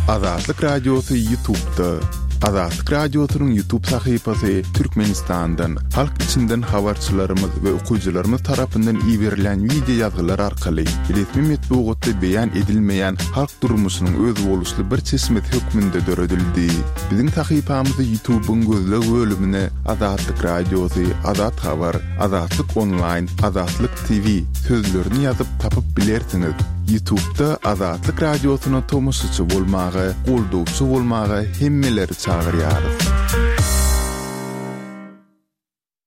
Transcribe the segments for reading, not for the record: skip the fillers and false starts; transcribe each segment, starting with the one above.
Azatlyk Radiosy Ýutubda. Azatlyk Radiosynyň Ýutub sahypasy Türkmenistandan, halk içinden habarçylarymyz we okyjylarymyz tarapyndan iberilýän wideo ýazgylar arkaly resmi metbugatda beýan edilmeýän halk durmuşynyň özboluşly bir çeşmesi hökmünde döredildi. Biziň sahypamyzy Ýutubyň gözleg bölümine Azatlyk Radiosy, Azat Habar, Azatlyk Onlaýn, Azatlyk TV sözlerini ýazyp tapyp bilersiňiz. Ýutubda Azatlyk Radiosyna tomaşaçy bolmaga, goldawçy bolmaga hemmeleri çagyrýarys.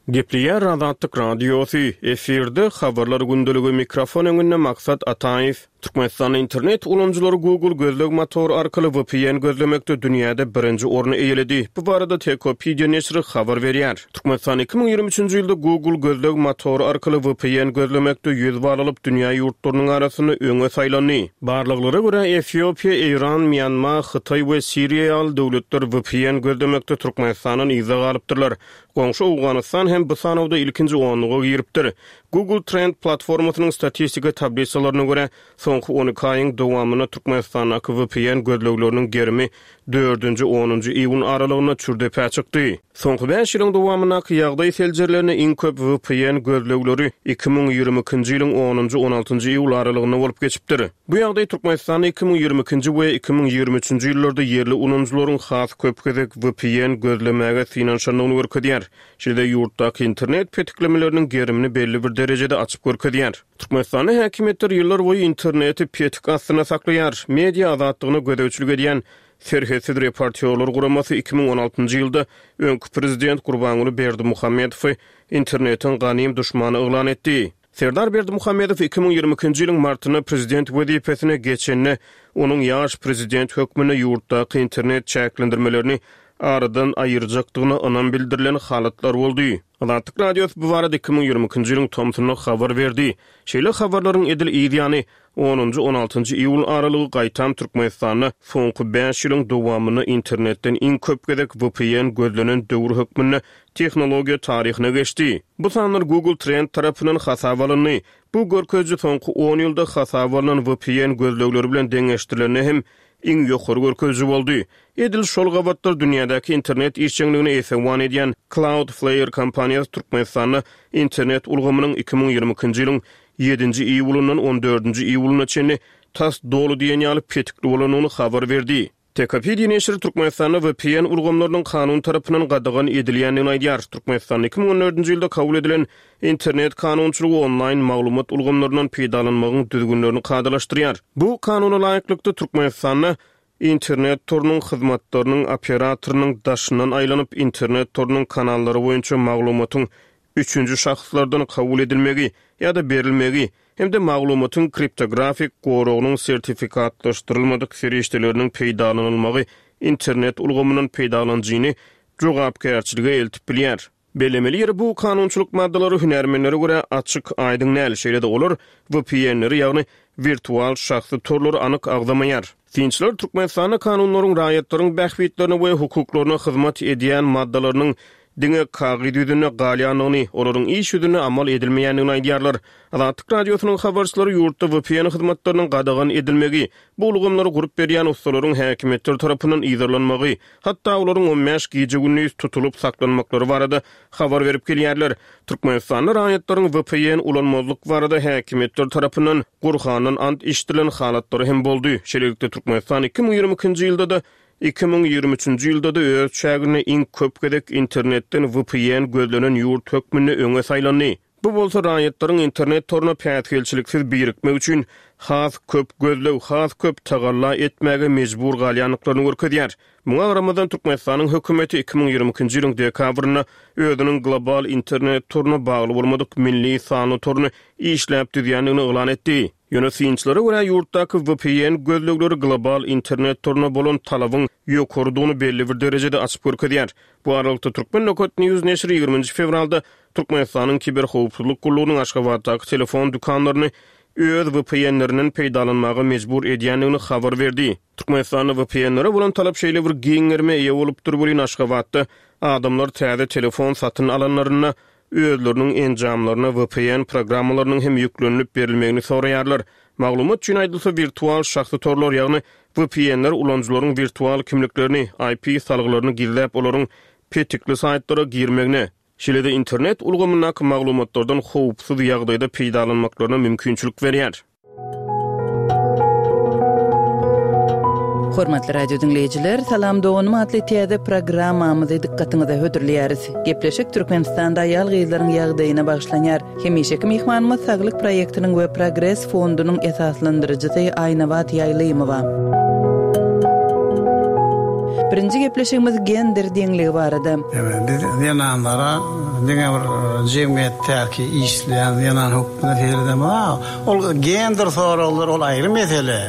Gepleýär Azatlyk Radiosy, efirde Habarlar gündeligi, mikrofon öňünde Maksat Ataýew. Türkmenistanda internet ulanyjylary Google gözleg motory arkaly VPN gözlemekde dünýäde birinji orny eýeledi. Bu barada Techopedia neşiri habar berýär. Türkmenistan 2023-nji ýylda Google gözleg motory arkaly VPN gözlemekde 100 bal alyp, dünýä ýurtlarynyň arasynda öňe saýlandy. Barlaglara görä, Efiopiýa, Eýran, Mýanma, Hytaý we Siriýa ýaly döwletler VPN gözlemekde Türkmenistandan yzda galypdyrlar. Goňşy Owganystan hem bu sanawda ilkinji onluga giripdir. Google Trend platformasynyň statistika tablisalaryna görä, soňky 12 aýyň dowamynda Türkmenistandaky VPN gözlegleriniň gerimi dördünji, onunjy iýun aralygynda çür depä çykdy. Soňky bäş ýylyň dowamyndaky ýagdaý seljerilende iň köp VPN gözlegleri 2022-nji ýylyň onunjy, on altynjy iýul aralygynda bolup geçipdir. Bu ýagdaý Türkmenistanda 2022-nji we 2023-nji ýyllarda ýerli ulanyjylaryň has köp gezek VPN gözlemäge synanyşandygyny görkezýär. Şeýle-de ýurtdaky internet petiklemeleriniň gerimini belli bir derejede açyp görkezýär. Türkmenistanda häkimiýetler ýyllarboýy interneti petik astynda saklaýar. Media azatlygyna gözegçilik edýän Serhetsiz reportýorlar guramasy 2016-njy ýylda öňki prezident Gurbanguly Berdimuhamedowy internetiň ganym duşmany yglan etdi. Serdar Berdimuhamedow 2022-nji ýylyň martynda prezident wezipesine geçende, onuň ýaş prezident hökmünde ýurtdaky internet çäklendirmelerini aradan aýyrjakdygyna ynam bildirilen halatlar boldy. Azatlyk Radiosy bu barada 2022-nji ýylyň tomsunda habar berdi. Şeýle habarlaryň edil yz ýany, onunjy, on altynjy iýul aralygy gaýtam Türkmenistanda soňky bäş ýylyň dowamynda internetden iň köp gezek VPN gözlenen döwür hökmünde tehnologiýa taryhyna geçdi. Bu sanlar Google Trend tarapyndan hasaba alyndy. Bu görkeziji soňky on ýylda hasaba alnan VPN gözlegleri bilen deňeşdirilende hem iň ýokary görkeziji boldy. Edil şol gabatlar dünýädäki internet işjeňligine esewan edýän Cloudflare kompaniýasy Türkmenistanda internet ulgamynyň 2022-nji ýylyň ýedinji iýulyndan on dördünji iýulyna çenli tas doly diýen ýaly petikli bolandygyny habar berdi. Tekopedia neşiri Türkmenistanda VPN ulgamlarynyň kanun tarapyndan gadagan edilýändigini aýdýar. Türkmenistanda 2014-nji ýylda kabul edilen internet kanunçylygy onlaýn maglumat ulgamlaryndan peýdalanmagyň düzgünlerini kadalaşdyrýar. Bu kanuna laýyklykda, Türkmenistanda internet torunyň hyzmatlarynyň operatorynyň daşyndan aýlanyp, internet torunyň kanallary boýunça maglumatyň üçünji şahslardan kabul edilmegi ýa-da berilmegi hem-de maglumatyň kriptografik goragynyň sertifikatlaşdyrylmadyk serişdeleriniň peýdalanylmagy internet ulgamyndan peýdalanyjyny jogapkärçilige eltip bilýär. Bellemeli ýeri, bu kanunçylyk maddalary hünärmenlere görä açyk, aýdyň däl, şeýle-de olar VPN-leri, ýagny wirtual şahsy torlary anyk agzamaýar. Synçylar Türkmenistanda kanunlaryň raýatlaryň bähbitlerine we hukuklaryna hyzmat edýän maddalarynyň diňe kagyz ýüzünde galýandygyny, olaryň iş ýüzünde amal edilmeýändigini aýdýarlar. Azatlyk Radiosynyň habarçylary ýurtda VPN hyzmatlarynyň gadagan edilmegi, bu ulgamlary gurup berýän ussalaryň häkimiýetler tarapyndan yzarlanmagy, hatda olaryň on bäş gije-gündiz tutulyp saklanmaklary barada habar berip gelýärler. Türkmenistanda raýatlaryň VPN ulanmazlyk barada häkimiýetler tarapyndan Gurhandan ant içdirilen halatlary hem boldy. Şeýlelikde, Türkmenistan 2022-nji ýylda-da, 2023-nji ýylda-da öz çäginde iň köp gezek internetden VPN gözlenen ýurt hökmünde öňe saýlandy. Bu bolsa raýatlaryň internet toruna päsgelçiliksiz birikmek üçin has köp gözleg, has köp tagalla etmäge mejbur galýandyklaryny görkezýär. Muňa garamazdan, Türkmenistanyň hökümeti 2022-nji ýylyň dekabrynda özüniň global internet toruna bagly bolmadyk milli sanly toruny işläp düzýändigini yglan etdi. Ýöne synçylara görä, ýurtdaky VPN gözlegleri global internet toruna bolan talabyň ýokarydygyny belli bir derejede açyp görkezýär. Bu aralykda, Turkmen. News neşiri ýigriminji fewralda Türkmenistanyň Kiberhowpsuzlyk gullugynyň Aşgabatdaky telefon dükanlaryny öz VPN-lerinden peýdalanmaga mejbur edýändigini habar berdi. Türkmenistanda VPN-lere bolan talap şeýle bir giň gerime eýe bolupdyr welin, Aşgabatda adamlar täze telefon satyn alanlarynda özleriniň enjamlaryna VPN programmalarynyň hem ýüklenilip berilmegini soraýarlar. Maglumat üçin aýdylsa, wirtual şahsy torlar, ýagny VPN-ler ulanyjylaryň wirtual kimliklerini, IP salgylaryny gizläp, olaryň petikli saýtlara girmegine, şeýle-de internet ulgamyndaky maglumatlardan howpsuz ýagdaýda peýdalanmaklaryna mümkinçilik berýär. Hormatly radio diňleýjiler, Salam doganym atly täze programmamyzy dykgatyňyza hödürleýäris. Gepleşik Türkmenistanda aýal-gyzlaryň ýagdaýyna bagyşlanýar. Hemişeki myhmanymyz Saglyk proýektiniň we Progres fondunyň esaslandyryjysy Aýnabat Ýaýlymowa. Birinji gepleşigimiz gender deňligi barada. Biz zenanlara diňe bir jemgyýetdäki işleýän zenan hökmünde seredemok. Ol gender soraglary ol aýry mesele.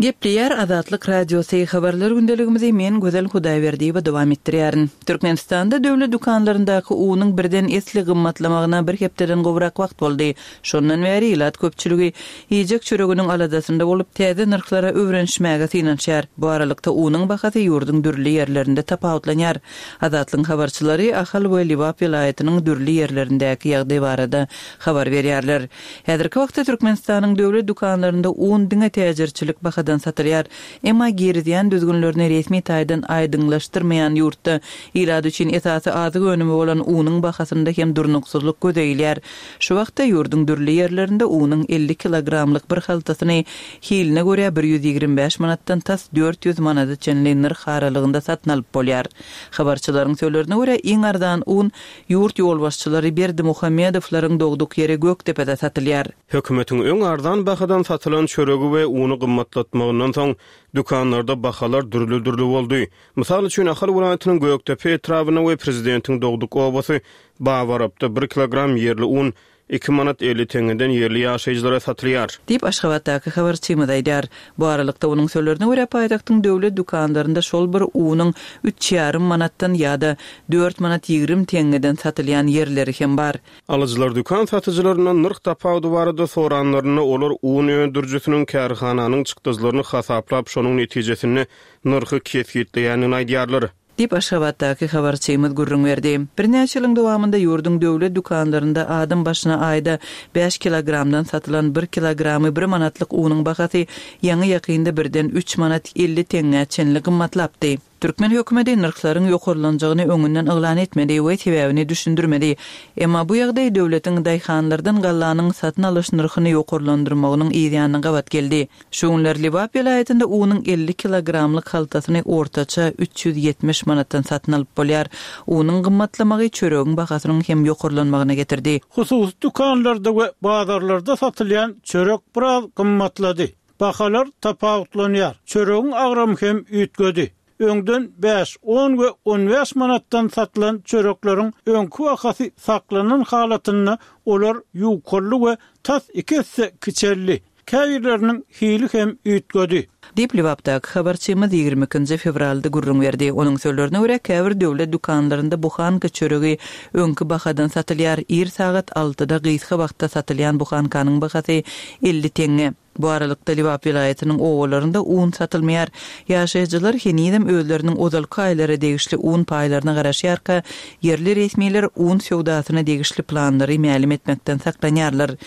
Gepleýär Azatlyk Radiosy, Habarlar gündeligimizi men Gözel Hudaýberdiýewa dowam etdirýärin. Türkmenistanda döwlet dükanlaryndaky unuň birden esli gymmatlamagyna bir hepdeden gowrak wagt boldy. Şondan bäri ilat köpçüligi iýjek çöreginiň aladasynda bolup, täze nyrhlara öwrenişmäge synanyşýar. Bu aralykda unuň bahasy ýurduň dürli ýerlerinde tapawutlanýar. Azatlygyň habarçylary Ahal we Lebap welaýatynyň dürli ýerlerindäki ýagdaý barada habar berýärler. Häzirki wagtda Türkmenistanyň döwlet dükanlarynda un diňe täjirçilik bahadan satylýar. Emma girizýän düzgünlerini resmi taýdan aýdyňlaşdyrmaýan ýurtda ilat üçin esasy azyk önümi bolan unuň bahasynda hem durnuksyzlyk göze ilýär. Şu wagtda ýurduň dürli ýerlerinde unuň 50 kilogramlyk bir haltasyny hiline görä 125 manatdan tas 400 manada çenli nyrh aralygynda satyn alyp bolýar. Habarçylaryň sözlerine görä, iň arzan un Ýurt ýolbaşçylary Berdimuhamedowlaryň dogduk ýeri Gökdepede satylýar. Hökümetiň öň arzan bahadan satylan çöregi we uny gymmatlatmagyndan soň, dükanlarda bahalar dürli-dürli boldy. Mysal üçin, Ahal welaýatynyň Gökdepe etrabynda we prezidentiň dogduk obasy Babarapda bir kilogram ýerli un Iki manat 50 teňňeden ýerli ýaşaýjylara satylýar. Diýip, Aşgabatdaky habarçymyz aýdýar. Bu aralykda, onuň sözlerine görä, paýtagtyň döwlet dükanlarynda şol bir unuň üç ýarym manatdan ýa-da dört manat 20 teňňeden satylýan ýerleri hem bar. Alyjylar dükan satyjylaryndan nyrh tapawudy barada soranlarynda, olar un öndürijisiniň kärhananyň çykdajylaryny hasaplap, şonuň netijesinde nyrhy kesgitleýändigini aýdýarlar. Diýip, Aşgabatdaky habarçymyz gürrüň berdi. Birnäçe ýylyň dowamynda ýurduň döwlet dükanlarynda adam başyna aýda bäş kilogramdan satylan bir kilogramy bir manatlyk unuň bahasy ýaňy-ýakynda birden üç manat 50 teňňä çenli gymmatlapdy. Türkmen hökümeti nyrhlaryň ýokarlanjagyny öňünden yglan etmedi we sebäbini düşündirmedi. Emma bu ýagdaý döwletiň daýhanlardan gallanyň satyn alyş nyrhyny ýokarlandyrmagynyň yzýanyna gabat geldi. Şu günler Lebap welaýatynda unuň 50 kilogramlyk haltasyny ortaça 370 manatdan satyn alyp bolýar. Unuň gymmatlamagy çöregiň bahasynyň hem ýokarlanmagyna getirdi. Hususy dükanlarda we bazarlarda satylýan çörek biraz gymmatlady. Bahalar tapawutlanýar. Çöregiň agramy hem üýtgedi. Öňden bäş, on we on bäş manatdan satylan çörekleriň öňki bahasy saklanan halatynda olar ýukaldy we tas iki esse kiçeldi. Käbirleriniň hili hem üýtgedi. Diýip, Lebapdaky habarçymyz 22 nji fewralda gürrüň berdi. Onuň sözlerine görä, käbir döwlet dükanlarynda buhanka çöregi öňki bahadan satylýar, ir sagat altyda gysga wagtda satylýan buhankanyň bahasy 50 teňňe. Bu aralykda, Lebap welaýatynyň obalarynda un satylmaýar. Ýaşaýjylar henizem özleriniň ozalky aýlara degişli un paýlaryna garaşýarka, ýerli resmiler un söwdasyna degişli planlary mälim etmekden saklanýarlar.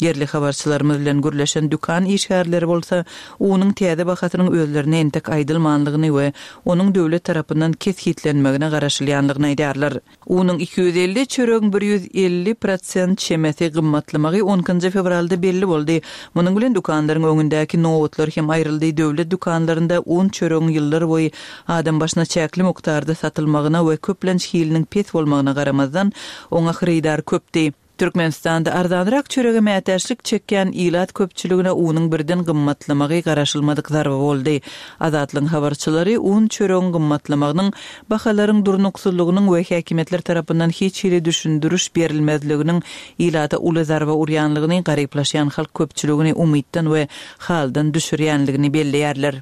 Ýerli habarçylarymyz bilen gürleşen dükan işgärleri bolsa, unuň täze bahasynyň özlerine entek aýdylmanlygyny we onuň döwlet tarapyndan kesgitlenmegine garaşylýanlygyny aýdýarlar. Unuň 250, çöregiň 150 prosent çemesi gymmatlamagy on ikinji fewralda belli boldy. Munuň bilen dükanlaryň öňündäki nobatlar hem aýryldy. Döwlet dükanlarynda un, çöregiň ýyllarboýy adam başyna çäkli mukdarda satylmagyna we köplenç hiliniň pes bolmagyna garamazdan, oňa hyrydar köpdi. Türkmenistanda arzanrak çörege mätäçlik çekýän ilat köpçüligine unuň birden gymmatlamagy garaşylmadyk zarba boldy. Azatlygyň habarçylary un, çöregiň gymmatlamagynyň bahalaryň durnuksyzlygynyň we häkimiýetler tarapyndan hiç hili düşündiriş berilmezliginiň ilata uly zarba urýanlygyny, garyplaşýan halk köpçüligini umytdan we haldan düşürýänligini belleýärler.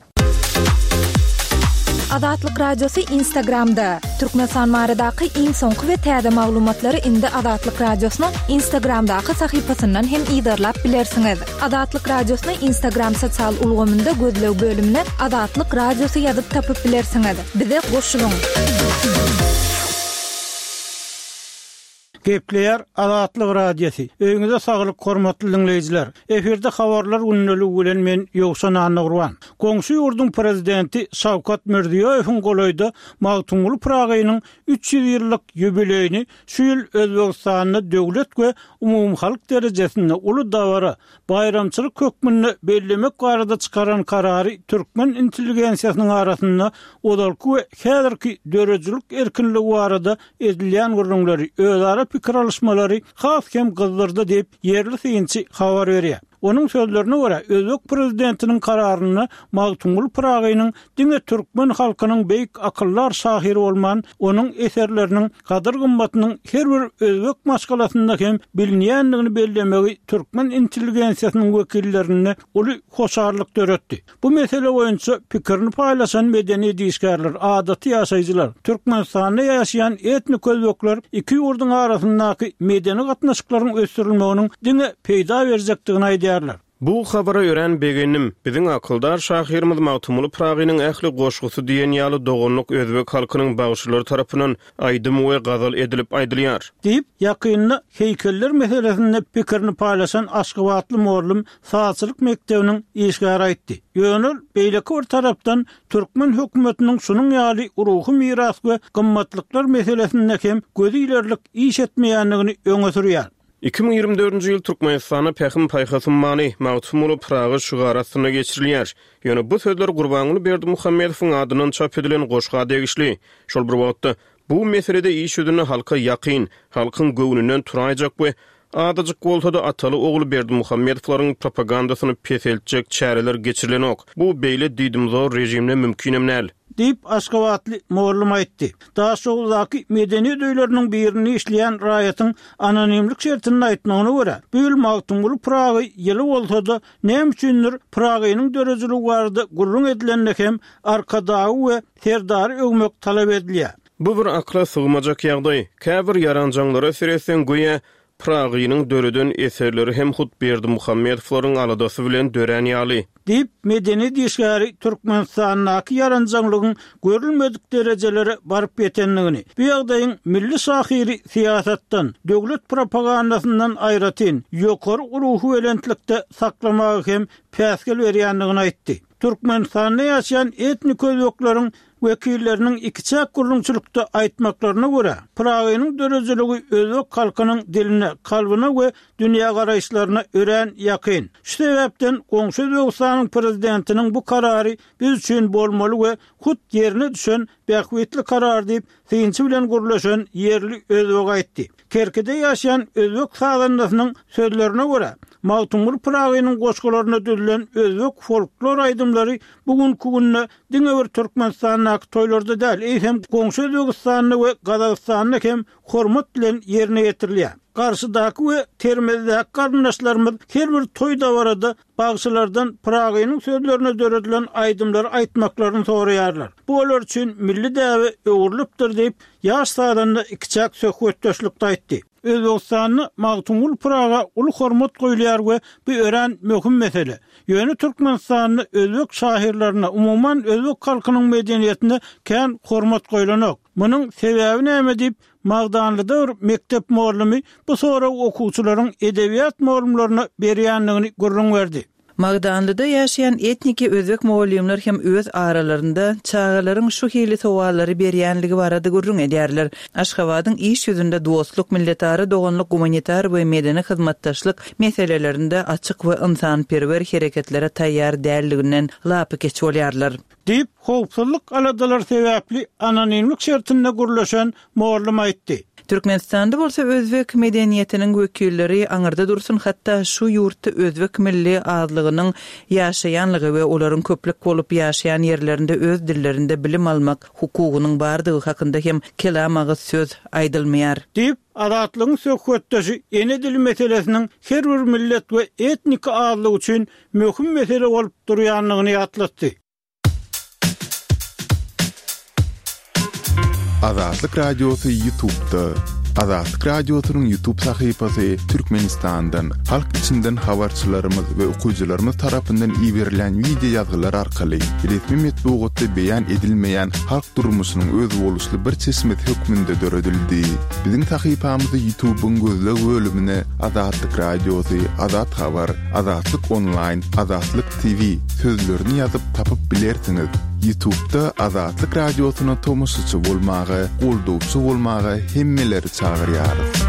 Azatlyk Radiosy Instagramda, Türkmenistan baradaky iň soňky we täze maglumatlary indi Azatlyk Radiosynyň Instagramdaky sahypasyndan hem yzarlap bilersiňiz. Azatlyk Radiosyny Instagram sosial ulgamynda gözleg bölümine Azatlyk Radiosy ýazyp tapyp bilersiňiz. Bize goşulyň! Gepleýär Azatlyk Radiosy. Öýüňize saglyk hormatly diňleýjiler. Efirde habarlar gündeligi bilen men Ýowşan Annagurban. Goňşy ýurduň prezidenti Şawkat Mirziýoýewiň golaýda Magtymguly Pyragynyň 300 ýyllyk ýubileýini şu ýyl Özbegistanda döwlet we umumyhalk derejesinde uly dabara, baýramçylyk hökmünde bellemek barada çykaran karary türkmen intelligensiýasynyň arasynda ozalky we häzirki döredijilik erkinligi barada edilýän gürrüňleri, özara pikir alyşmalary has hem gyzdyrdy diýip, ýerli synçy habar berýär. Onuň sözlerine görä, özbek prezidentiniň kararynda Magtymguly Pyragynyň diňe türkmen halkynyň beýik akyldar şahyry bolman, onuň eserleriniň gadyr-gymmatynyň her bir özbek maşgalasynda hem bilinýändigini bellemegi türkmen intelligensiýasynyň wekillerinde uly hoşallyk döretdi. Bu mesele boýunça pikirini paýlaşan medeniýet işgärler, adaty ýaşaýjylar, Türkmenistanda ýaşaýan etnik özbekler iki ýurduň arasyndaky medeni gatnaşyklaryň ösdürilmeginiň diňe peýda berjekdigini aýdýarlar. Bu habara örän begendim. Biziň akyldar şahyrymyz Magtymguly Pyragynyň ähli goşgusy diýen ýaly doganlyk özbek halkynyň bagşylary tarapyndan aýdym we gazal edilip aýdylýar. Diýip, ýakynda heýkeller meselesinde pikirini paýlaşan aşgabatly mugallym sazçylyk mekdebiniň işgäri aýtdy. Ýöne ol, beýleki bir tarapdan, türkmen hökümetiniň şunuň ýaly ruhy miras we gymmatlyklar meselesinde hem gözi ilerlik iş etmeýändigini öňe sürýär. 2024-nji ýyl Türkmenistanda Pähim-paýhas ummany, Magtymguly Pyragy şygary astynda geçirilýär. Ýöne bu sözler Gurbanguly Berdimuhamedowyň adyndan çap edilen goşga degişli. Şol bir wagtda, bu meselede iş ýüzünde halka ýakyn, halkyň göwnünden turaýjak we azajyk bolsa-da ataly-ogul Berdimuhamedowlaryň propagandasyny peseltjek çäreler geçirilenok. Bu beýle diýdimzor režimde mümkinem däl. Diýip, aşgabatly mugallym aýtdy. Daşoguzdaky medeniýet öýleriniň birinde işleýän raýatyň anonimlik şertinde aýtmagyna görä, bu ýyl Magtymguly Pyragy ýyly bolsa-da, näme üçindir, Pyragynyň döredijiligi barada gürrüň edilende hem Arkadagy we Serdary öwmek talap edilýär. Bu bir akyla sygmajak ýagdaý. Käbir ýaranjaňlara seretseň, göýä, Pyragynyň döreden eserleri hem hut Berdimuhamedowlaryň aladasy bilen dörän ýaly. Diýip, medeniýet işgäri Türkmenistandaky ýaranjaňlygyň görülmedik derejelere baryp ýetendigini, bu ýagdaýyň milli şahyry syýasatdan, döwlet propagandasyndan aýratyn, ýokary ruhubelentlikde saklamaga hem päsgel berýändigini aýtdy. Türkmenistanda ýaşaýan etnik özbekleriň wekilleriniň ikiçäk gürrüňçilikde aýtmaklaryna görä, Pyragynyň döredijiligi özbek halkynyň diline, kalbyna we dünýägaraýyşlaryna örän ýakyn. Şu sebäpden goňşy Özbegistanyň prezidentiniň bu karary biz üçin bolmaly we hut ýerine düşen bähbitli karar diýip, synçy bilen gürleşen ýerli özbek aýtdy. Kerkide ýaşaýan özbek sazandasynyň sözlerine görä, Magtymguly Pyragynyň goşgularyna düzülen özbek folklor aýdymlary bu günki günde diňe bir Türkmenistandaky toýlarda däl, eýsem goňşy Özbegistanda we Gazagystanda hem hormat bilen ýerine ýetirilýär. Garşydaky we Termezdäki garyndaşlarymyz her bir toý-dabarada bagşylardan Pyragynyň sözlerine döredilen aýdymlary aýtmaklaryny soraýarlar. Bu olar üçin milli däbe öwrülipdir diýip, ýaş sazanda ikiçäk söhbetdeşlikde aýtdy. Özbegistanda Magtymguly Pyraga uly hormat goýulýar we bu örän möhüm mesele. Ýöne Türkmenistanda özbek şahyrlaryna, umuman özbek halkynyň medeniýetine kän hormat goýlanok. Munuň sebäbi näme diýip, Magdanlyda bir mekdep mugallymy bu soragy okuwçylaryň edebiýat mugallymlaryna berýändigini gürrüň berdi. Magdanlyda ýaşaýan etniki özbek mugallymlar hem öz aralarynda çagalaryň şu hili sowallary berýänligi barada gürrüň edýärler. Aşgabadyň iş ýüzünde dostluk, milletara doganlyk, gumanitar we medeni hyzmatdaşlyk meselelerinde açyk we ynsanperwer hereketlere taýýar däldiginden lapykeç bolýarlar. Diýip, howpsuzlyk aladalary sebäpli anonimlik şertinde gürleşen mugallym aýtdy. Türkmenistanda bolsa özbek medeniýetiniň wekilleri aňyrda dursun, hatda şu ýurtda özbek milli azlygynyň ýaşaýanlygy we olaryň köplük bolup ýaşaýan ýerlerinde öz dillerinde bilim almak hukugynyň bardygy hakynda hem kelam agyz söz aýdylmaýar. Diýip, Azatlygyň söhbetdeşi ene dili meselesiniň her bir millet we etniki azlyk üçin möhüm mesele bolup durýandygyny ýatlatdy. Azatlyk Radiosy YouTube'da. Azatlyk Radiosynyň YouTube sahypasy Türkmenistandan, halk içinden habarçylarymyz we okyjylarymyz tarapyndan iberilýän wideo ýazgylar arkaly resmi metbugatda beýan edilmeýän halk durmuşynyň özboluşly bir çeşmesi hökmünde döredildi. Biziň sahypamyzy YouTube-yň gözleg bölümine Azatlyk Radiosy, Azat Habar, Azatlyk Onlaýn, Azatlyk TV sözlerini ýazyp tapyp bilersiňiz. Ýutubda Azatlyk Radiosyna tomaşaçy bolmaga, goldawçy bolmaga hemmeleri çagyrýarys.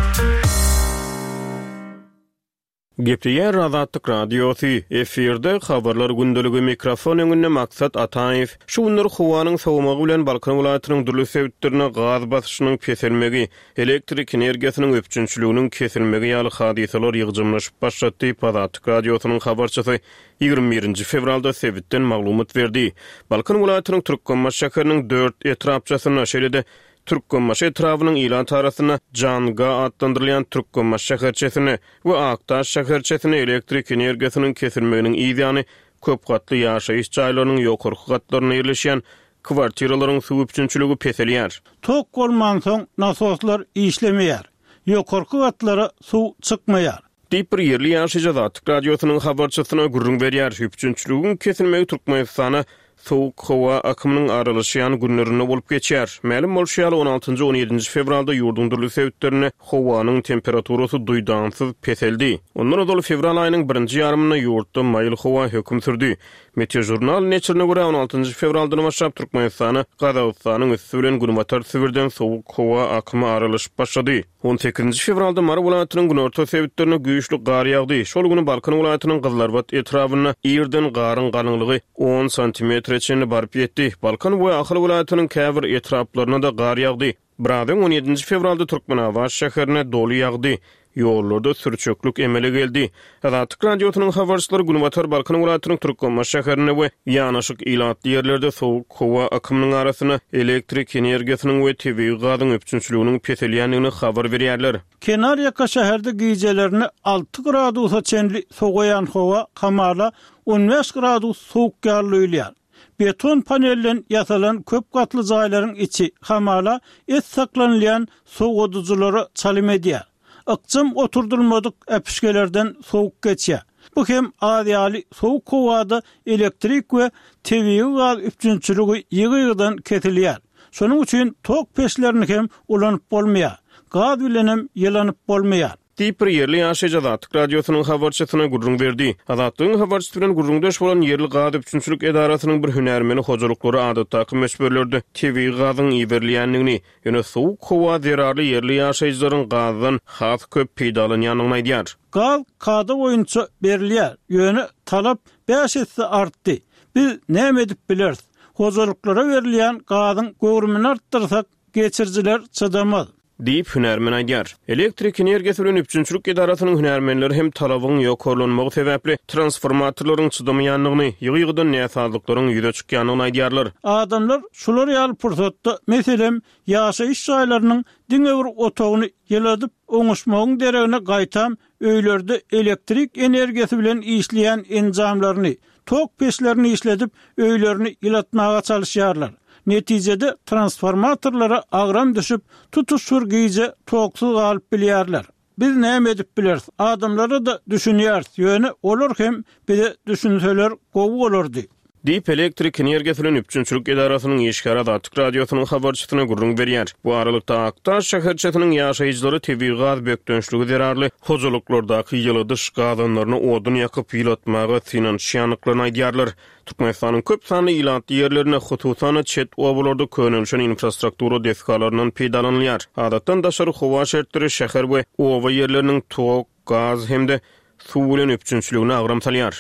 Gepleýär Azatlyk Radiosy, efirde Habarlar gündeligi, mikrofon öňünde Maksat Ataýew. Şu günler howanyň sowamagy bilen Balkan welaýatynyň dürli sebitlerinde gaz basyşynyň peselmegi, elektrik energiýasynyň üpjünçiliginiň kesilmegi ýaly hadysalar ýygjamlaşyp başlady diýip, Azatlyk Radiosynyň habarçysy 21 nji fewralda sebitden maglumat berdi. Balkan welaýatynyň Türkmenbaşy şäheriniň dört etrapçasynda, şeýle-de Türkmenbaşy etrabynyň ilat arasynda Janga atlandyrylýan Türkmenbaşy şäherçesinde we Akdaş şäherçesinde elektrik energiýasynyň kesilmeginiň yz ýany köp gatly ýaşaýyş jaýlarynyň ýokarky gatlarynda ýerleşýän kwartiralaryň suw üpjünçiligi peselýär. Tok bolmansoň nasoslar işlemeýär. Ýokarky gatlara suw çykmaýar. Diýip, bir ýerli ýaşaýjy Azatlyk Radiosynyň habarçysyna gürrüň berýär. Üpjünçiligiň kesilmegi Türkmenistana sowuk howa akymynyň aralaşýan günlerinde bolup geçýär. Mälim bolşy ýaly, on altynjy, on ýedinji fewralda ýurduň dürli sebitlerinde howanyň temperaturasy duýdansyz peseldi. Ondan ozal fewral aýynyň birinji ýarymynda ýurtda maýyl howa höküm sürdi. Meteožurnal neşirine görä, on altynjy fewraldan başlap Türkmenistana Gazagystanyň üsti bilen Günbatar Sibirden sowuk howa akymy aralaşyp başlady. On sekizinji fewralda Mary welaýatynyň günorta sebitlerinde güýçli gar ýagdy. Şol güni Balkan welaýatynyň Gyzylarbat etrabynda irden garyň galyňlygy on santimetre çenli baryp ýetdi. Balkan we Ahal welaýatynyň käbir etraplarynda-da gar ýagdy. Biraz öň, on ýedinji fewralda Türkmenabat şäherine doly ýagdy. Ýollarda sürçeklik emele geldi. Azatlyk Radiosynyň habarçylary günbatar Balkan welaýatynyň Türkmenbaşy şäherinde we ýanaşyk ilatly ýerlerde sowuk howa akymynyň arasynda elektrik energiýasynyň we tebigy gazyň üpjünçiliginiň peselýändigini habar berýärler. Kenarýaka şäherde gijelerine alty gradusa çenli sowaýan howa hamala on bäş gradus sowuk ýaly duýulýar. Beton panelden ýasalan köp gatly jaýlaryň içi, hamala, et saklanylýan sowadyjylara çalym edýär. Ykjam oturdylmadyk äpişgelerden sowuk geçýär. Bu hem az ýaly sowuk howada elektrik we tebigy gaz üpjünçiligi ýygy-ýygydan kesilýär. Şonuň üçin tok peçlerini hem ulanyp bolmaýar. Gaz bilenem ýylanyp bolmaýar. Diýip, bir ýerli ýaşaýjy Azatlyk Radiosynyň habarçysyna gürrüň berdi. Azatlygyň habarçysy bilen gürrüňdeş bolan ýerli gaz üpjünçilik edarasynyň bir hünärmeni hojalyklara adatdaky möçberlerde tebigy gazyň iberilýändigini, ýöne sowuk howa zerarly ýerli ýaşaýjylaryň gazdan has köp peýdalanýandygyny aýdýar. Gaz kada boýunça berilýär, ýöne talap bäş esse artdy. Biz näme edip bileris? Hojalyklara berilýän gazyň göwrümini artdyrsak, geçirijiler çydamaz. Diýip, hünärmen aýdýar. Elektrik energiýasy bilen üpjünçilik edarasynyň hünärmenleri hem talabyň ýokarlanmagy sebäpli transformatorlaryň çydamaýandygyny, ýygy-ýygydan näsazlyklaryň ýüze çykýandygyny aýdýarlar. Adamlar şular ýaly pursatda, meselem, ýaşaýyş jaýlarynyň diňe bir otagyny ýyladyp oňuşmagyň deregine gaýtam öýlerde elektrik energiýasy bilen işleýän enjamlaryny, tok peçlerini işledip, öýlerini ýylatmaga çalyşýarlar. Netijede transformatorlara agram düşüp, tutuş bir gije toksuz galyp bilýärler. Biz näme edip bileris? Adamlara-da düşünýäris, ýöne olar hem bize düşünseler gowy bolardy. Diýip, elektrik energiýasy bilen üpjünçilik edarasynyň işgäri Azatlyk Radiosynyň habarçysyna gürrüň berýär. Bu aralykda, Akdaş şäherçesiniň ýaşaýjylary tebigy gaz bökdençligi zerarly hojalyklardaky ýyladyş gazanlaryna odun ýakyp ýylatmaga synanyşýandyklaryny aýdýarlar. Türkmenistanyň köp sanly ilatly ýerlerinde, hususan-da, çet obalarda könelişen infrastruktura desgalaryndan peýdalanylýar. Adatdan daşary howa şertleri şäher we oba ýerleriniň tok, gaz hem-de suw bilen üpjünçiligine agram salýar.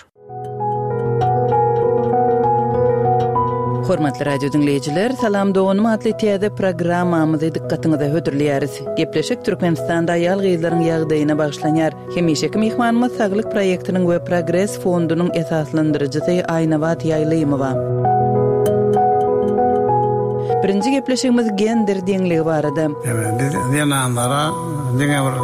Hormatly radio diňleýjiler, Salam doganym atly täze programmamyzy dykgatyňyza hödürleýäris. Gepleşik Türkmenistanda aýal-gyzlaryň ýagdaýyna bagyşlanýar. Hemişeki myhmanymyz Saglyk proýektiniň we Progres fondunyň esaslandyryjysy Aýnabat Ýaýlymowa. Birinji gepleşigimiz gender deňligi barada. Biz zenanlara diňe bir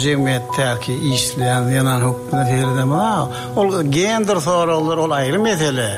jemgyýetdäki işleýän zenan hökmünde seredemok. Ol gender soraglary ol aýry mesele.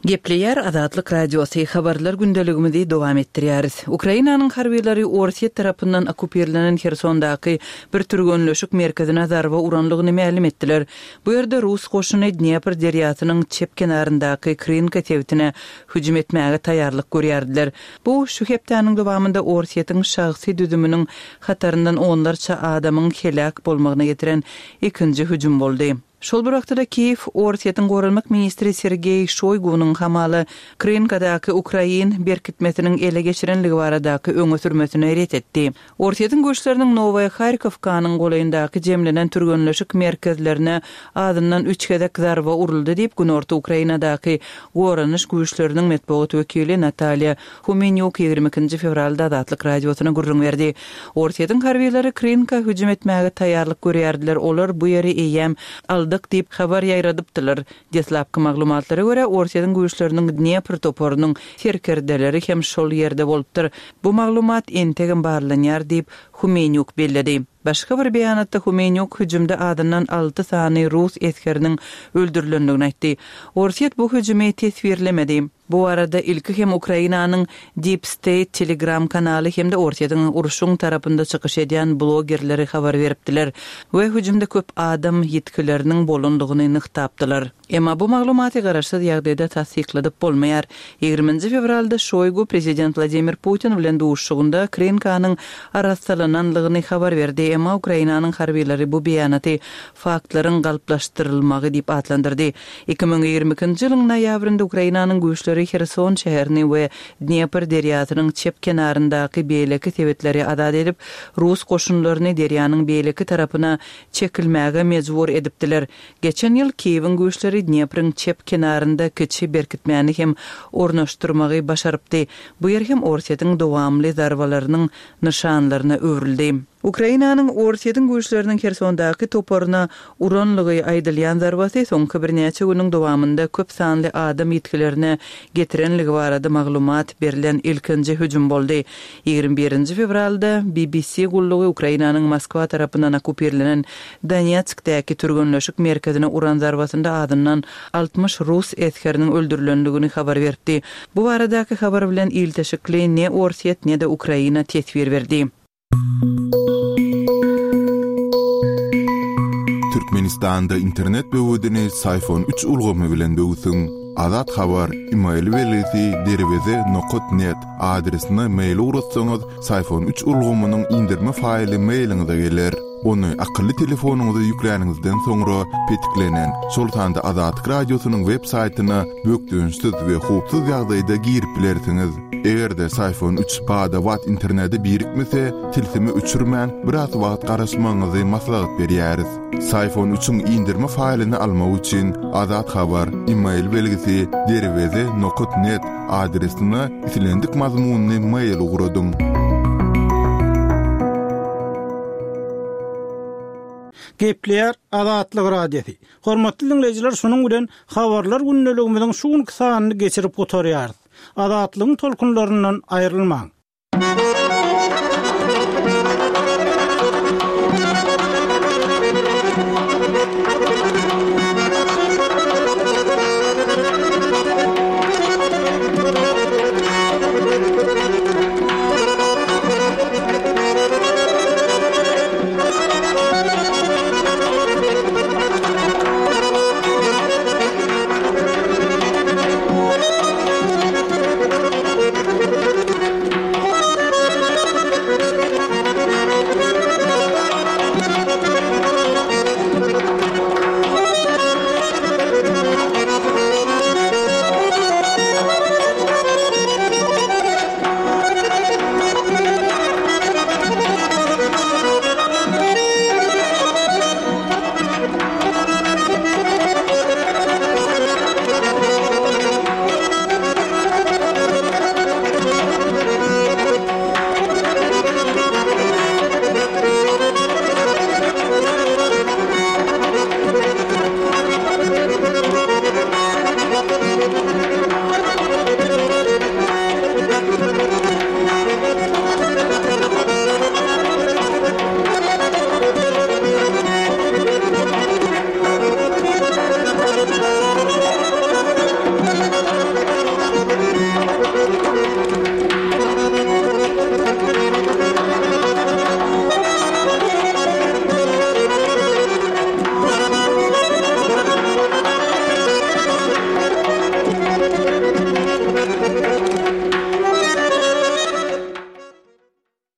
Gepleýär Azatlyk Radiosy, Habarlar gündeligimizi dowam etdirýäris. Ukrainanyň harbylary Orsýet tarapyndan okkupirlenen Hersondaky bir türgenleşik merkezine zarba uranlygyny mälim etdiler. Bu ýerde rus goşuny Dnepr derýasynyň çep kenaryndaky Krynka sebitine hüjüm etmäge taýýarlyk görýärdiler. Bu şu hepdäniň dowamynda Orsýetiň şahsy düzüminiň hataryndan onlarça adamyň heläk bolmagyna getiren ikinji hüjüm boldy. Şol bir wagtda-da Kiýew Orsýetiň goranmak ministri Sergeý Şoýgunyň hamala Krynkadaky ukrain berkitmesiniň ele geçirenligi baradaky öňe sürmesini ret etdi. Orsýetiň güýçleriniň Nowaýa Harkowkanyň golaýyndaky jemlenen türgenleşik merkezlerine azyndan üç gezek zarba uruldy diýip, günorta Ukrainadaky goranyş güýçleriniň metbugat wekili Natalýa Humenýuk 22-nji fewralda Azatlyk Radiosyna gürrüň berdi. Orsýetiň harbylary Krynka hüjüm etmäge taýýarlyk görýärdiler, olar bu ýeri eýýäm aldyk diýip habar ýaýradypdylar. Deslapky maglumatlara görä, Orsýetiň güýçleriniň Dnepr toparynyň serkerdeleri hem şol ýerde bolupdyr. Bu maglumat entegem barlanýar diýip, Humenýuk belledi. Başga bir beýanatda Humenýuk hüjümde azyndan alty sany rus esgeriniň öldürilendigini aýtdy. Orsýet bu hüjümi teswirlemedi. Bu barada ilki hem Ukrainanyň Deep State Telegram kanaly hem-de Orsýetiň urşuň tarapynda çykyş edýän blogerleri habar beripdiler we hüjümde köp adam ýitgileriniň bolandygyny nygtapdylar. Emma bu maglumaty garaşsyz ýagdaýda tassykladyp bolmaýar. Ýigriminji fewralda Şoýgu prezident Wladimir Putin bilen duşuşygynda Krynkanyň arassalananlygyny habar berdi, emma Ukrainanyň harbylary bu beýanaty faktlaryň galplaşdyrylmagy diýip atlandyrdy. 2022-nji ýylyň noýabrynda Ukrainanyň güýçleri Herson şäherini we Dnepr derýasynyň çep kenaryndaky beýleki sebitleri azat edip, rus goşunlaryny derýanyň beýleki tarapyna çekilmäge mejbur edipdiler. Geçen ýyl Kiýewiň güýçleri Dnepriň çep kenarynda kiçi berkitmäni hem ornaşdyrmagy başarypdy. Bu ýer hem Orsýetiň dowamly zarbalarynyň nyşanlaryna öwrüldi. Ukrainanyň Orsýetiň güýçleriniň Hersondaky toparyna uranlygy aýdylýan zarbasy soňky birnäçe günüň dowamynda köp sanly adam ýitgilerine getirenligi barada maglumat berlen ilkinji hüjüm boldy. 21-nji fewralda BBC gullugy Ukrainanyň Moskwa tarapyndan okkupirlenen Donetskdäki türgenleşik merkezine uran zarbasynda azyndan 60 rus esgeriniň öldürilendigini habar beripdi. Bu baradaky habar bilen ilteşikli ne Orsýet, ne-de Ukraina teswir berdi. Türkmenistanda internet böwedini Syfon üç ulgamy bilen böwsüň. Azat Habar, email belgisi derweze nokat net adresine mail ugratsaňyz, Syfon üç ulgamynyň indirme faýly mailiňize geler. Ony akylly telefonyňyza ýükläniňizden soňra petiklenen, şol sanda Azatlyk Radiosynyň web saýtyna bökdençsiz we howpsuz ýagdaýda girip bilersiňiz. Eger-de Syfon üç bada-bat internete birikmese, tilsimi öçürmän, biraz wagt garaşmagyňyzy maslahat berýäris. Syfon üçiň indirme faýlyny almak üçin Azat Habar, email belgisi derweze nokat net adresine islendik mazmunly mail ugradyň. Gepleýär Azatlyk Radiosy. Hormatly diňleýjiler şunuň bilen Habarlar gündeligimiziň şu günki sanyny geçirip gutarýarys. Azatlygyň tolkunlaryndan aýrylmaň.